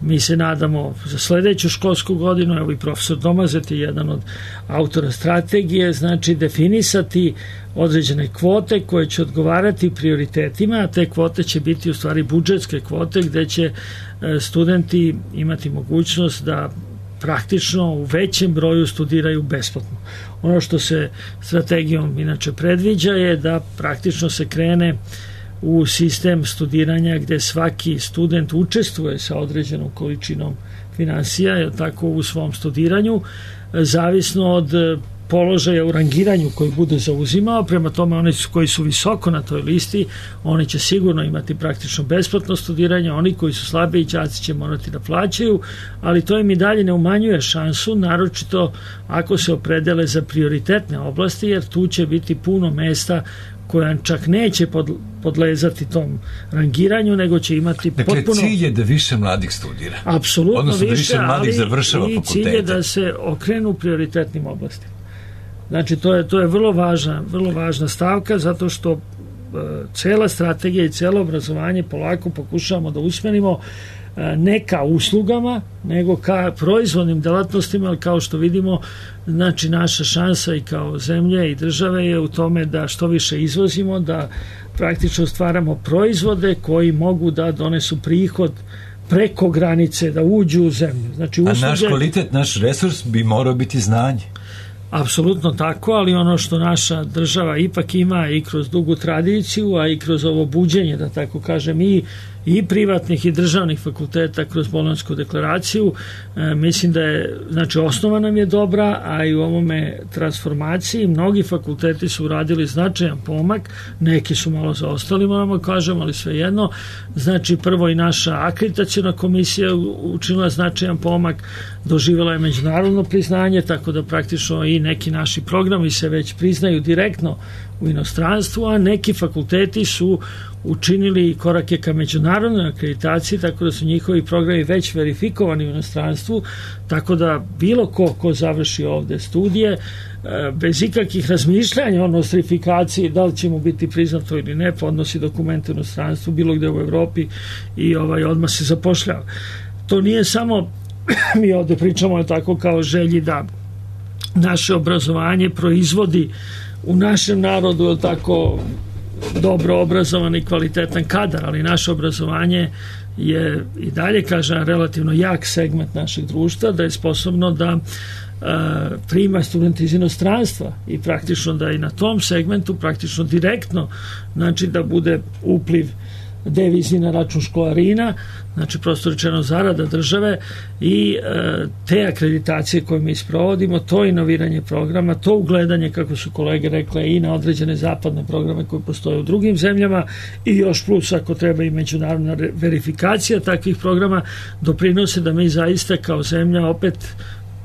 mi se nadamo, za sledeću školsku godinu, evo i profesor Domazet je jedan od autora strategije, znači definisati određene kvote koje će odgovarati prioritetima, a te kvote će biti u stvari budžetske kvote gde će studenti imati mogućnost da praktično u većem broju studiraju besplatno. Ono što se strategijom inače predviđa je da praktično se krene u sistem studiranja gde svaki student učestvuje sa određenom količinom finansija, tako u svom studiranju, zavisno od položaja u rangiranju koji bude zauzimao, prema tome oni koji su visoko na toj listi, oni će sigurno imati praktično besplatno studiranje, oni koji su slabiji đaci će morati da plaćaju, ali to im i dalje ne umanjuje šansu, naročito ako se opredele za prioritetne oblasti, jer tu će biti puno mesta koja čak neće podlezati tom rangiranju, nego će imati potpuno... Dakle, cilj je da više mladih studira. Apsolutno odnosno više, da više mladih završava i fakultete. cilj je da se okrenu prioritetnim oblastima. Znači, to je vrlo važna stavka, zato što cela strategija i celo obrazovanje polako pokušavamo da usmerimo ne ka uslugama, nego ka proizvodnim delatnostima, ali kao što vidimo, znači naša šansa i kao zemlje i države je u tome da što više izvozimo, da praktično stvaramo proizvode koji mogu da donesu prihod preko granice, da uđu u zemlju. Znači, usluge... A naš kvalitet, naš resurs bi morao biti znanje. Apsolutno tako, ali ono što naša država ipak ima i kroz dugu tradiciju, a i kroz ovo buđenje, da tako kažem, i privatnih i državnih fakulteta kroz Bolonjsku deklaraciju, mislim da je, znači, osnova nam je dobra, a i u ovome transformaciji mnogi fakulteti su uradili značajan pomak, neki su malo zaostali, moramo kažem, ali svejedno. Znači, prvo i naša akreditaciona komisija učinila značajan pomak, doživjela je međunarodno priznanje, tako da praktično i neki naši programi se već priznaju direktno u inostranstvu, a neki fakulteti su učinili korake ka međunarodnoj akreditaciji, tako da su njihovi programi već verifikovani u inostranstvu, tako da bilo ko završi ovde studije, bez ikakvih razmišljanja o nostrifikaciji, da li će mu biti priznato ili ne, podnosi dokumente u inostranstvu, bilo gde u Evropi i odmah se zapošljava. To nije samo, mi ovde pričamo tako kao želji da naše obrazovanje proizvodi u našem narodu, je tako, dobro obrazovan i kvalitetan kadar, ali naše obrazovanje je i dalje, kažem, relativno jak segment našeg društva, da je sposobno da prima studente iz inostranstva i praktično da i na tom segmentu praktično direktno, znači da bude upliv devizni na račun školarina, znači prosto rečeno zarada države i te akreditacije koje mi sprovodimo, to inoviranje programa, to ugledanje, kako su kolege rekle, i na određene zapadne programe koje postoje u drugim zemljama i još plus ako treba i međunarodna verifikacija takvih programa, doprinose da mi zaista kao zemlja opet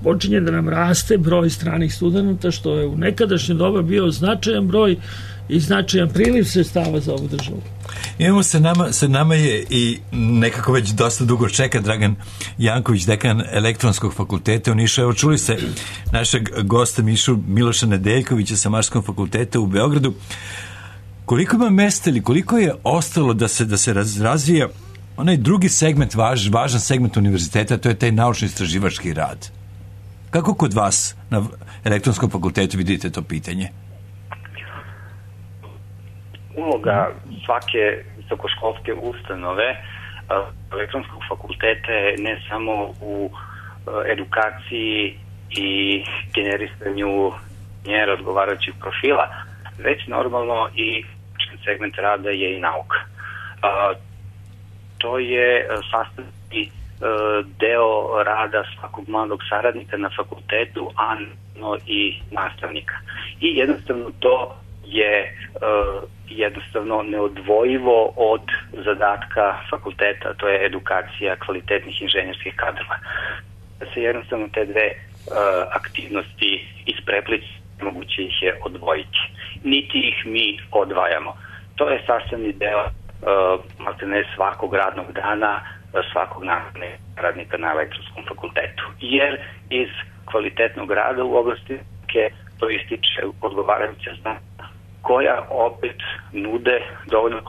počinje da nam raste broj stranih studenta, što je u nekadašnje doba bio značajan broj i značajan priliv sredstava za ovu državu. Imamo sa nama je i nekako već dosta dugo čeka Dragan Janković, dekan Elektronskog fakulteta u Nišu. Evo, čuli ste našeg gosta Miloša Nedeljkovića sa Mašinskog fakulteta u Beogradu. Koliko ima mesta ili koliko je ostalo da se razvija onaj drugi segment, važan segment univerziteta, to je taj naučno-istraživački rad? Kako kod vas na Elektronskom fakultetu vidite to pitanje? Uloga svake visokoškolske ustanove Elektronskog fakulteta je ne samo u edukaciji i generisanju razgovarajućih profila, već normalno i segment rada je i nauka. To je sastavni deo rada svakog mladog saradnika na fakultetu, a i nastavnika. I jednostavno to je jednostavno neodvojivo od zadatka fakulteta, to je edukacija kvalitetnih inženjerskih kadrova. Da se jednostavno te dve aktivnosti ispreplići, moguće ih je odvojiti. Niti ih mi odvajamo. To je sastavni deo maltene svakog radnog dana, svakog radnika na Elektronskom fakultetu. Jer iz kvalitetnog rada u oblasti proističe odgovarajuća znanja koja opet nude dovoljno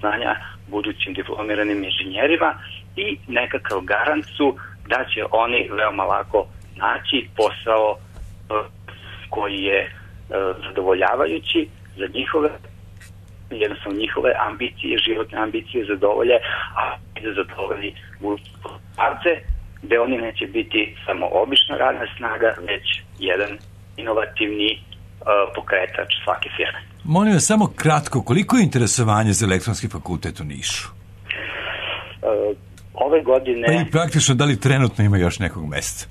znanja budućim diplomiranim inženjerima i nekakav garant su da će oni veoma lako naći posao koji je zadovoljavajući za njihove, jednostavno njihove ambicije, životne ambicije zadovolje, a da zadovolji buduće poslodavce, gde oni neće biti samo obična radna snaga, već jedan inovativni pokretač svake firme. Molim vas, samo kratko, koliko je interesovanje za Elektronski fakultet u Nišu? Ove godine... Pa i praktično, da li trenutno ima još nekog mesta?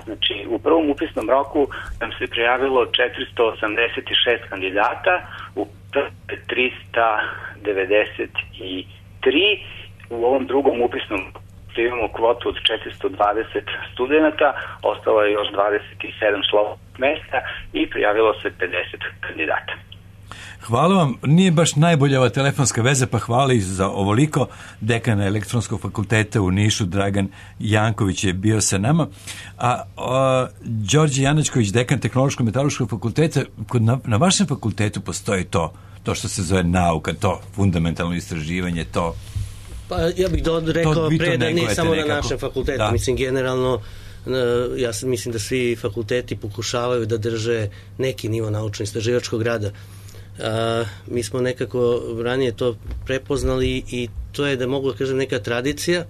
Znači, u prvom upisnom roku nam se prijavilo 486 kandidata, u 393, u ovom drugom upisnom imamo kvotu od 420 studenta, ostalo je još 27 slobodnih mesta i prijavilo se 50 kandidata. Hvala vam, nije baš najbolja ova telefonska veza, pa hvala i za ovoliko. Dekan Elektronskog fakulteta u Nišu, Dragan Janković, je bio sa nama, a Đorđe Janačković, dekan Tehnološko-metalurškog fakulteta, na vašem fakultetu postoji to što se zove nauka, to fundamentalno istraživanje, to... Pa ja bih rekao pre da nije samo na našem fakultetu, da. Mislim generalno, ja mislim da svi fakulteti pokušavaju da drže neki nivo naučno-istraživačkog rada. Mi smo nekako ranije to prepoznali i to je, da mogu da kažem, neka tradicija.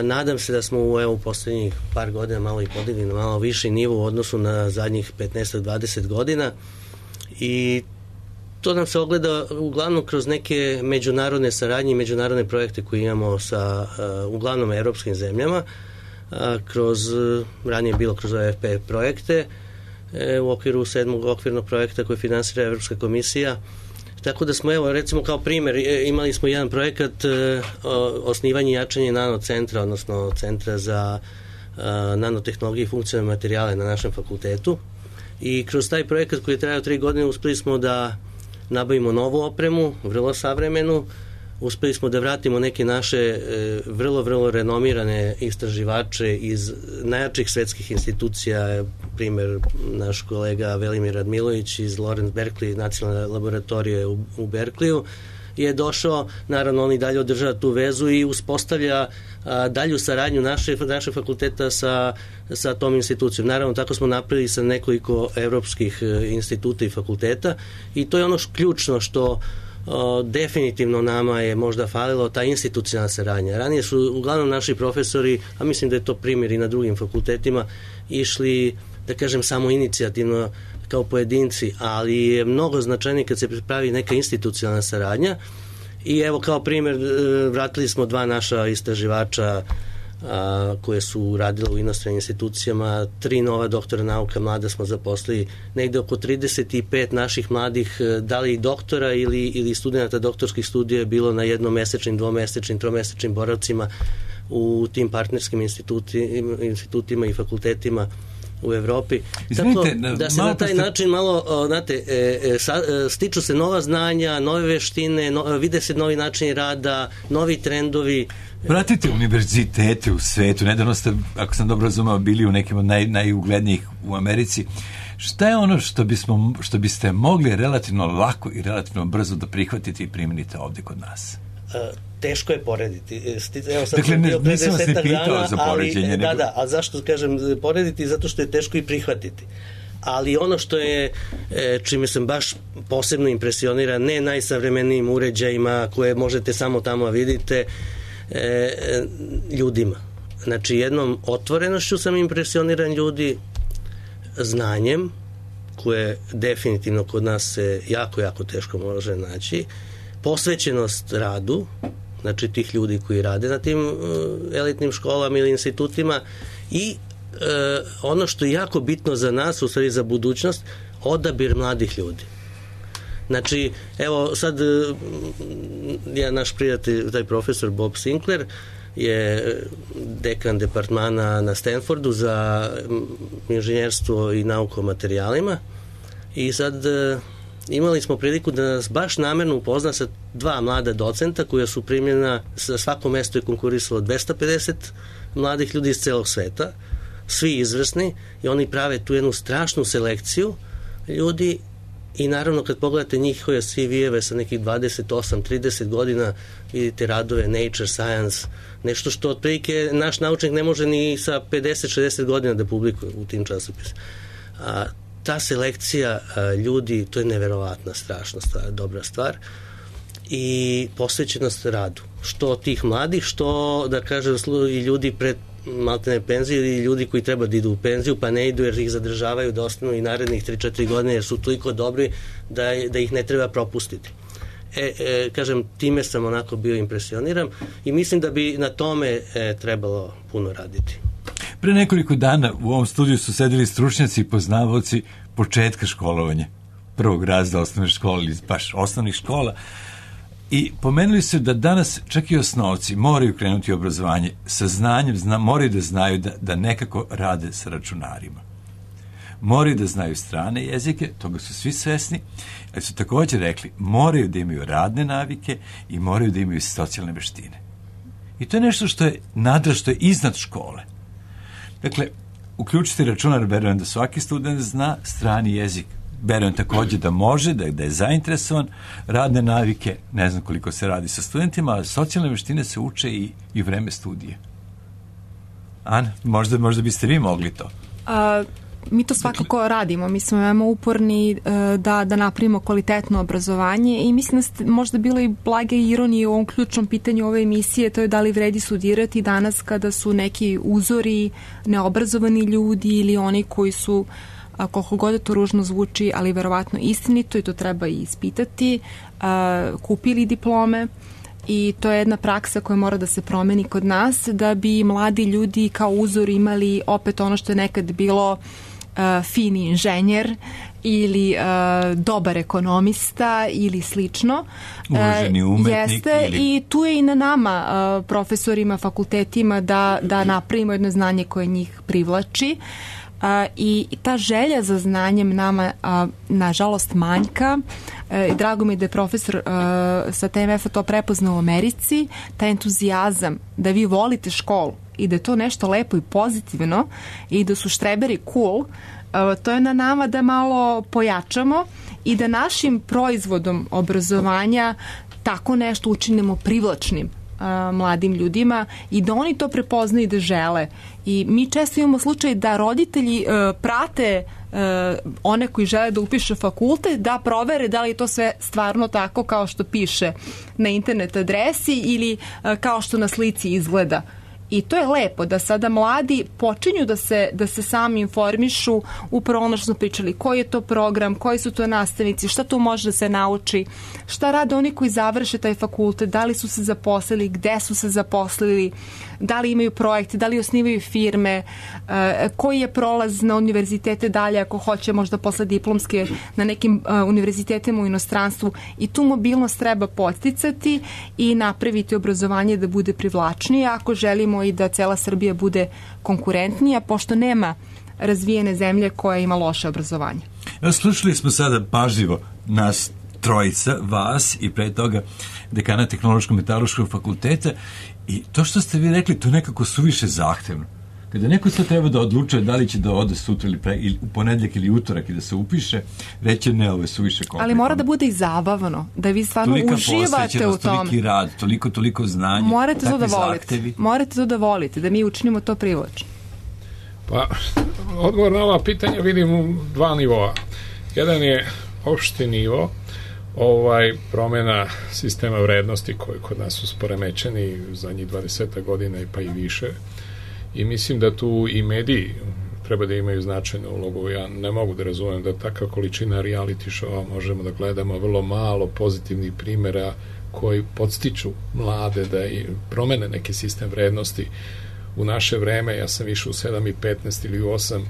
Nadam se da smo u poslednjih par godina malo i podigli na malo viši nivo u odnosu na zadnjih 15-20 godina i to nam se ogleda uglavnom kroz neke međunarodne saradnje i međunarodne projekte koje imamo sa uglavnom evropskim zemljama, ranije bilo kroz OFP projekte, u okviru 7. okvirnog projekta koji finansira Evropska komisija. Tako da smo, evo, recimo kao primjer, imali smo jedan projekat osnivanje i jačanje nanocentra, odnosno centra za nanotehnologije i funkcionalne materijale na našem fakultetu. I kroz taj projekat koji je trajao 3 godine uspeli smo da nabavimo novu opremu, vrlo savremenu, uspeli smo da vratimo neke naše vrlo renomirane istraživače iz najjačih svetskih institucija, primjer naš kolega Velimir Radmilović iz Lawrence Berkeley nacionalne laboratorije u Berkeleyu je došao, naravno on i dalje održava tu vezu i uspostavlja dalju saradnju naše fakulteta sa tom institucijom. Naravno, tako smo napravili sa nekoliko evropskih instituta i fakulteta i to je ono ključno što definitivno nama je možda falilo, ta institucionalna saradnja. Ranije su uglavnom naši profesori, a mislim da je to primjer i na drugim fakultetima, išli, da kažem, samo inicijativno kao pojedinci, ali je mnogo značajnije kad se pravi neka institucionalna saradnja i evo kao primjer vratili smo 2 naša istraživača koje su radile u inostranim institucijama, 3 nova doktora nauka mlada smo zaposlili, negde oko 35 naših mladih, da li doktora ili studenta doktorskih studija je bilo na jednomesečnim, dvomesečnim, tromesečnim boravcima u tim partnerskim institutima i fakultetima u Evropi. Tako da se na taj način malo, znate, stiču se nova znanja, nove veštine, vide se novi načini rada, novi trendovi. Pratite univerzitete u svetu, nedavno ste, ako sam dobro razumao, bili u nekim od najuglednijih u Americi. Šta je ono što biste mogli relativno lako i relativno brzo da prihvatite i primenite ovde kod nas? Teško je porediti. Evo, dakle, nisam vas ne pitao za poređenje. Da, a zašto kažem porediti? Zato što je teško i prihvatiti. Ali ono što je, čime sam baš posebno impresioniran, ne najsavremenijim uređajima koje možete samo tamo vidite, ljudima. Znači, jednom otvorenošću sam impresioniran ljudi, znanjem, koje definitivno kod nas se jako teško može naći, posvećenost radu, znači tih ljudi koji rade na tim elitnim školama ili institutima i ono što je jako bitno za nas, u stvari za budućnost, odabir mladih ljudi. Znači, evo sad naš prijatelj, taj profesor Bob Sinclair je dekan departmana na Stanfordu za inženjerstvo i nauku o materijalima i sad imali smo priliku da nas baš namerno upozna sa 2 mlada docenta koja su primljena, sa svako mesto je konkurisalo 250 mladih ljudi iz celog sveta, svi izvrsni i oni prave tu jednu strašnu selekciju ljudi i naravno kad pogledate njihove CV-eve sa nekih 28-30 godina vidite radove Nature, Science, nešto što otprilike naš naučnik ne može ni sa 50-60 godina da publikuje u tim časopisima. Ta selekcija ljudi, to je neverovatna, strašna stvar, dobra stvar i posvećenost radu. Što tih mladih, što da kažem i ljudi pred maltene penzije ili ljudi koji treba da idu u penziju pa ne idu jer ih zadržavaju da ostanu i narednih 3-4 godine jer su toliko dobri da ih ne treba propustiti. Kažem, time sam onako bio impresioniran i mislim da bi na tome trebalo puno raditi. Pre nekoliko dana u ovom studiju su sedeli stručnjaci i poznavaoci početka školovanja, prvog razreda osnovne škole ili baš osnovnih škola, i pomenuli su da danas čak i osnovci moraju krenuti u obrazovanje sa znanjem, moraju da znaju da nekako rade sa računarima. Moraju da znaju strane jezike, toga su svi svesni, ali su također rekli moraju da imaju radne navike i moraju da imaju socijalne veštine. I to je nešto što je nadraž, što je iznad škole. Dakle, uključiti računar, verujem da svaki student zna strani jezik. Verujem također da može, da je zainteresovan. Radne navike, ne znam koliko se radi sa studentima, ali socijalne veštine se uče i vreme studije. Ana, možda biste vi mogli to. Mi to svakako radimo. Mi smo veoma uporni da napravimo kvalitetno obrazovanje i mislim da možda bilo i blage ironije u ovom ključnom pitanju ove emisije, to je da li vredi studirati danas kada su neki uzori neobrazovani ljudi ili oni koji su, koliko god to ružno zvuči, ali verovatno istinito i to treba i ispitati, kupili diplome. I to je jedna praksa koja mora da se promeni kod nas da bi mladi ljudi kao uzor imali opet ono što je nekad bilo fini inženjer ili dobar ekonomista ili slično. Uvaženi umetnik. Jeste, i tu je i na nama, profesorima, fakultetima, da napravimo jedno znanje koje njih privlači. I ta želja za znanjem nama nažalost manjka. Drago mi je da je profesor sa TMF-a to prepoznao u Americi, taj entuzijazam da vi volite školu i da je to nešto lepo i pozitivno i da su štreberi cool. To je na nama da malo pojačamo i da našim proizvodom obrazovanja tako nešto učinimo privlačnim mladim ljudima i da oni to prepoznaju i da žele. I mi često imamo slučaj da roditelji prate one koji žele da upiše fakultet, da provere da li je to sve stvarno tako kao što piše na internet adresi ili kao što na slici izgleda. I to je lepo da sada mladi počinju da se sami informišu upravo ono što smo pričali, koji je to program, koji su to nastavnici, šta tu može da se nauči, šta rade oni koji završe taj fakultet, da li su se zaposlili, gde su se zaposlili, da li imaju projekte, da li osnivaju firme, koji je prolaz na univerzitete dalje ako hoće možda posle diplomske na nekim univerzitetima u inostranstvu. I tu mobilnost treba podsticati i napraviti obrazovanje da bude privlačnije ako želimo i da cela Srbija bude konkurentnija, pošto nema razvijene zemlje koja ima loše obrazovanje. Slušali smo sada pažljivo nas trojica, vas i pre toga dekana Tehnološko-metaloškog fakulteta, i to što ste vi rekli, to nekako suviše zahtevno. Kada neko sad treba da odlučuje da li će da ode sutra ili u ponedjeljak ili utorak i da se upiše, reće ne, ovo je suviše komplikovano. Ali mora da bude i zabavno, da vi stvarno uživate u tome. Toliki rad, toliko znanje, takvi zahtevi. Morate to da volite, da mi učinimo to privlačno. Pa, odgovor na ova pitanja vidim u dva nivoa. Jedan je opšti nivo, promjena sistema vrednosti koji kod nas su poremećeni zadnjih 20 godina pa i više. I mislim da tu i mediji treba da imaju značajnu ulogu. Ja ne mogu da razumem da takva količina reality showa možemo da gledamo vrlo malo pozitivnih primjera koji podstiču mlade da i promene neki sistem vrednosti. U naše vreme, ja sam išao u 7:15 ili 8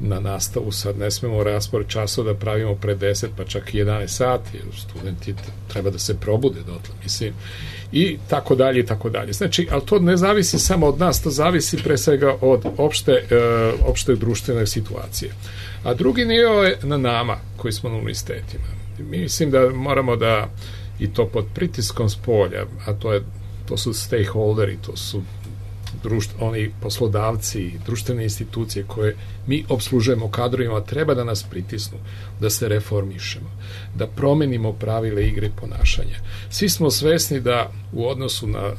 na nastavu, sad ne smemo raspored časova da pravimo pre 10 pa čak i 11 sati, jer studenti treba da se probude dotle, mislim, i tako dalje i tako dalje. Znači, ali to ne zavisi samo od nas, to zavisi pre svega od opšte društvene situacije. A drugi nivo je na nama koji smo na univerzitetima. Mislim da moramo da, i to pod pritiskom spolja, a to su stakeholderi, to su oni poslodavci, društvene institucije koje mi obslužujemo kadrovima, treba da nas pritisnu, da se reformišemo, da promenimo pravile igre i ponašanja. Svi smo svesni da u odnosu na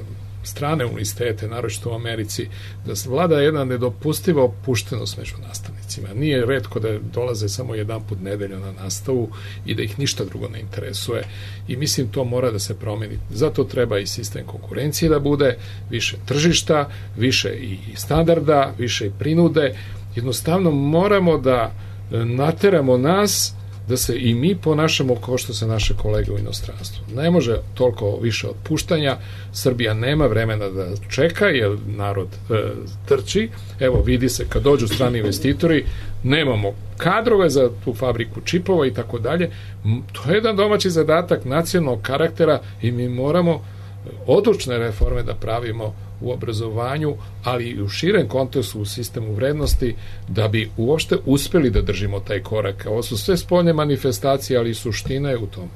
strane univerzitete, naročito u Americi, da vlada jedna nedopustiva opuštenost među nastavnicima. Nije retko da dolaze samo jedan put nedeljno na nastavu i da ih ništa drugo ne interesuje i mislim to mora da se promeni. Zato treba i sistem konkurencije da bude, više tržišta, više i standarda, više i prinude. Jednostavno moramo da nateramo nas da se i mi ponašamo kao što se naše kolege u inostranstvu. Ne može toliko više otpuštanja, Srbija nema vremena da čeka, jer narod trči. Evo, vidi se, kad dođu strani investitori, nemamo kadrove za tu fabriku čipova i tako dalje. To je jedan domaći zadatak nacionalnog karaktera i mi moramo odlučne reforme da pravimo u obrazovanju, ali i u širem kontekstu u sistemu vrednosti, da bi uopšte uspeli da držimo taj korak. Ovo su sve spoljne manifestacije, ali suština je u tom.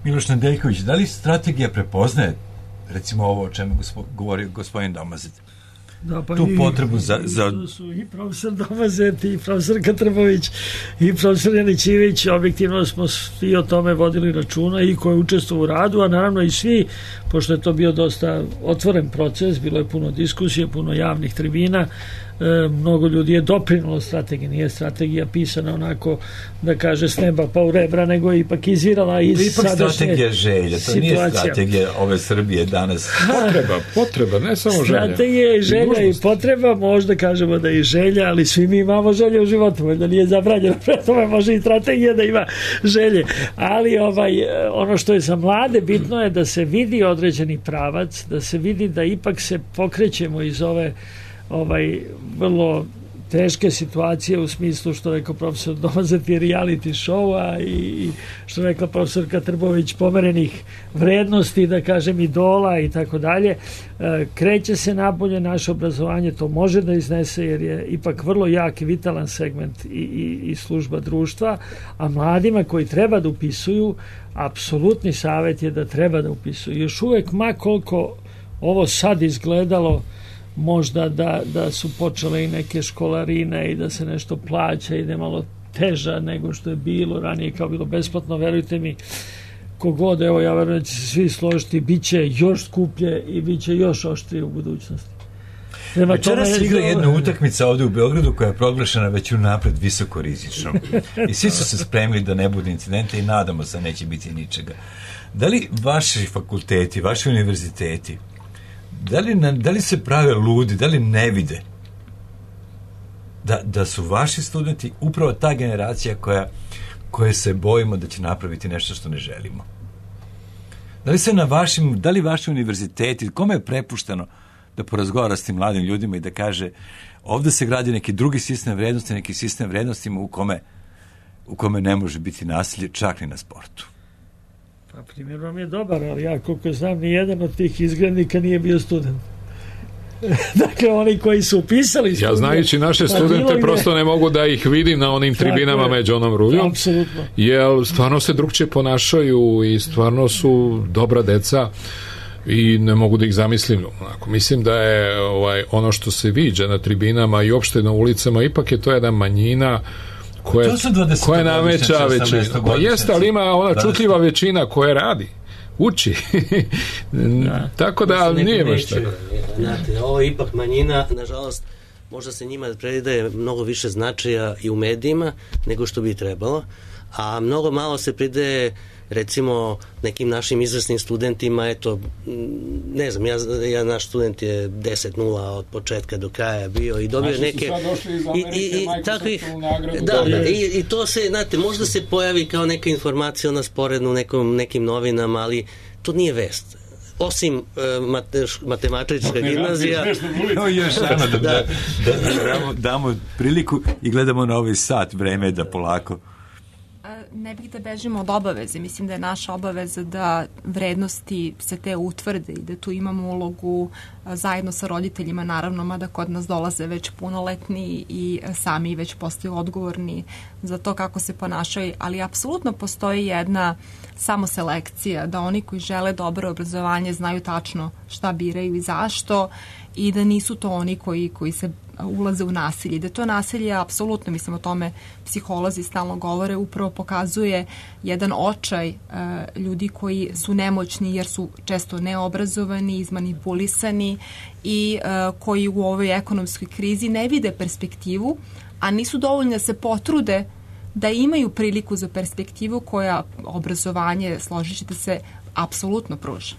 Miloš Nedeljković, da li strategija prepoznaje, recimo ovo o čemu govori gospodin Domazet, tu potrebu za... To su i profesor Domazet, i profesor Katrbović, i profesor Janićivić, objektivno smo svi o tome vodili računa i koji učestvuju u radu, a naravno i svi, pošto je to bio dosta otvoren proces, bilo je puno diskusije, puno javnih tribina, mnogo ljudi je doprinulo strategiji, nije strategija pisana onako da kaže s neba pa u rebra, nego je ipak izvirala iz sadašnje strategija želja, to nije strategija ove Srbije danas. Potreba, ne samo želja. Strategija i želja i potreba, možda kažemo da je i želja, ali svi mi imamo želje u životu, da nije zabranjeno, pre tome može i strategija da ima želje, ali ono što je za mlade bitno je da se vidi određeni pravac, da se vidi da ipak se pokrećemo iz ove vrlo teške situacije u smislu što rekao profesor Domazet je reality show-a i što rekla profesorka Trbović pomerenih vrednosti, da kažem idola i tako dalje. Kreće se napolje naše obrazovanje, to može da iznese jer je ipak vrlo jak i vitalan segment i služba društva, a mladima koji treba da upisuju, apsolutni savjet je da treba da upisuju. Još uvek, ma koliko ovo sad izgledalo možda da su počele i neke školarine i da se nešto plaća i da je malo teža nego što je bilo ranije, kao bilo besplatno, verujte mi, kogod, evo ja verujem da će se svi složiti, bit će još skuplje i bit će još oštrije u budućnosti. Večeras se igra jedna utakmica ovde u Beogradu koja je proglašena već unapred visoko rizičnom. I svi su se spremili da ne bude incidenta i nadamo se neće biti ničega. Da li vaši fakulteti, vaši univerziteti, da li se prave ludi, da li ne vide da su vaši studenti upravo ta generacija koje se bojimo da će napraviti nešto što ne želimo? Da li vaši univerziteti, kome je prepušteno da porazgovara s tim mladim ljudima i da kaže ovde se gradi neki drugi sistem vrednosti, neki sistem vrednostima u kome ne može biti nasilje čak ni na sportu? Pa primjer vam je dobar, ali ja koliko znam ni jedan od tih izgrednika nije bio student. Dakle, oni koji su upisali student... Ja znajući naše studente prosto ne mogu da ih vidim na onim tribinama među onom ruljom. Apsolutno. Jer stvarno se drugčije ponašaju i stvarno su dobra deca i ne mogu da ih zamislim. Mislim da je ono što se viđa na tribinama i uopšte na ulicama, ipak je to jedna manjina koja nameća većina. Pa jeste, ali ima ona čutljiva većina koja radi, uči. Tako da nije baš tako. Znate, ovo je ipak manjina, nažalost, možda se njima predaje mnogo više značaja i u medijima nego što bi trebalo, a mnogo malo se pridaje recimo nekim našim izvrsnim studentima, eto, ne znam, naš student je 10-0 od početka do kraja bio i dobio neke... I to se, znate, možda se pojavi kao neka informacija na sporednu nekim novinama, ali to nije vest. Osim matematička gimnazija. Još da damo priliku i gledamo na ovaj sat, vreme je da polako. Ne bih da bežimo od obaveze. Mislim da je naša obaveza da vrednosti se te utvrde i da tu imamo ulogu zajedno sa roditeljima, naravno, mada kod nas dolaze već punoletni i sami već postaju odgovorni za to kako se ponašaju, ali apsolutno postoji jedna samoselekcija, da oni koji žele dobro obrazovanje znaju tačno šta biraju i zašto i da nisu to oni koji se ulaze u nasilje. Da to nasilje, apsolutno, mislim o tome psiholozi stalno govore, upravo pokazuje jedan očaj ljudi koji su nemoćni jer su često neobrazovani, izmanipulisani i koji u ovoj ekonomskoj krizi ne vide perspektivu, a nisu dovoljni da se potrude da imaju priliku za perspektivu koja obrazovanje, složit ćete se, apsolutno pruža.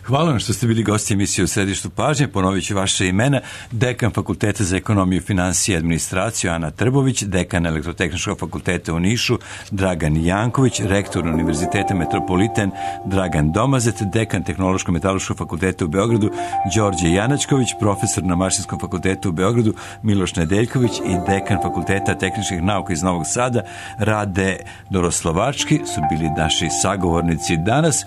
Hvala vam što ste bili gosti emisije u Središtu pažnje. Ponovit ću vaše imena. Dekan Fakulteta za ekonomiju, financije i administraciju Ana Trbović, dekan Elektrotehničkog fakulteta u Nišu Dragan Janković, rektor Univerziteta Metropolitan Dragan Domazet, dekan Tehnološko-metaloškog fakulteta u Beogradu Đorđe Janačković, profesor na Mašinskom fakultetu u Beogradu Miloš Nedeljković i dekan Fakulteta tehničkih nauka iz Novog Sada Rade Doroslovački su bili naši sagovornici danas.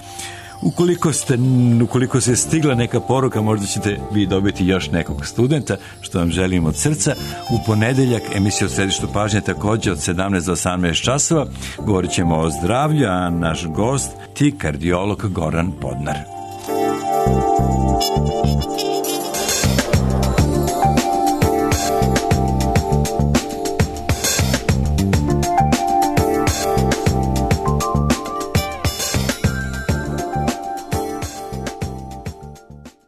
Ukoliko se stigla neka poruka, možda ćete vi dobiti još nekog studenta, što vam želim od srca. U ponedeljak emisija u Središtu pažnje također od 17 do 18 časova. Govorit ćemo o zdravlju, a naš gost ti kardiolog Goran Podnar.